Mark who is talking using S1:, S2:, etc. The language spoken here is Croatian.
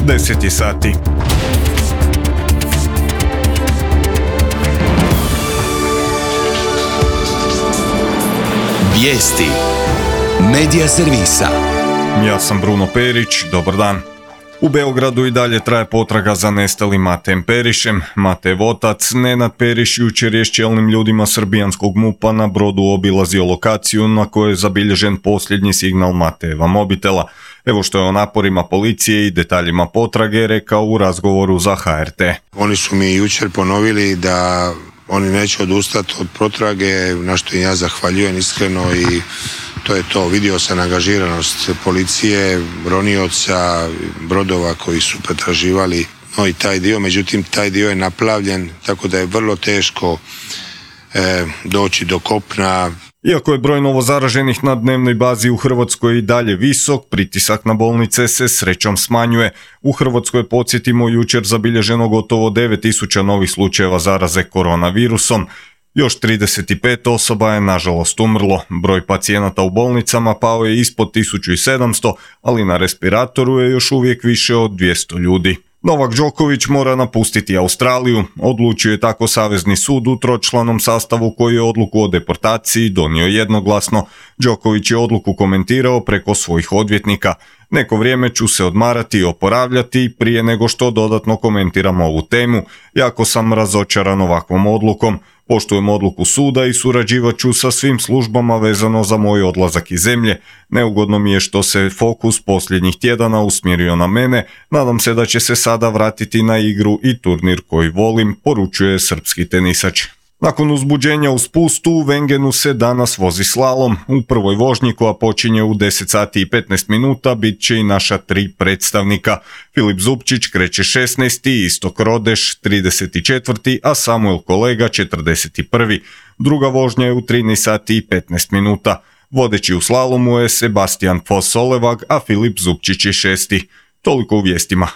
S1: 10 sati.
S2: Vijesti Medija servisa.
S1: Ja sam Bruno Perić, dobar dan. U Beogradu i dalje traje potraga za nestalim Matejem Perišem. Matejev otac, Nenad Periš, jučer je s čelnim ljudima srbijanskog MUP-a na brodu obilazio lokaciju na kojoj je zabilježen posljednji signal Matejeva mobitela. Evo što je o naporima policije i detaljima potrage rekao u razgovoru za HRT.
S3: Oni su mi jučer ponovili da oni neće odustati od potrage, na što im ja zahvaljujem iskreno i to je to. Vidio sam angažiranost policije, ronioca, brodova koji su pretraživali i taj dio, međutim taj dio je naplavljen, tako da je vrlo teško doći do kopna.
S1: Iako je broj novozaraženih na dnevnoj bazi u Hrvatskoj i dalje visok, pritisak na bolnice se srećom smanjuje. U Hrvatskoj, podsjetimo, jučer zabilježeno gotovo 9000 novih slučajeva zaraze koronavirusom. Još 35 osoba je nažalost umrlo. Broj pacijenata u bolnicama pao je ispod 1700, ali na respiratoru je još uvijek više od 200 ljudi. Novak Đoković mora napustiti Australiju. Odlučio je tako Savezni sud u tročlanom sastavu koji je odluku o deportaciji donio jednoglasno. Đoković je odluku komentirao preko svojih odvjetnika. Neko vrijeme ću se odmarati i oporavljati prije nego što dodatno komentiram ovu temu. Jako sam razočaran ovakvom odlukom. Poštujem odluku suda i surađivat ću sa svim službama vezano za moj odlazak iz zemlje. Neugodno mi je što se fokus posljednjih tjedana usmjerio na mene. Nadam se da će se sada vratiti na igru i turnir koji volim, poručuje srpski tenisač. Nakon uzbuđenja u spustu, u Wengenu se danas vozi slalom. U prvoj vožnji koja počinje u 10 sati i 15 minuta bit će i naša 3 predstavnika. Filip Zupčić kreće 16. Istok Rodeš 34. a Samuel Kolega 41. Druga vožnja je u 13 sati i 15 minuta. Vodeći u slalomu je Sebastian Foss-Solevag, a Filip Zupčić je 6. Toliko u vijestima.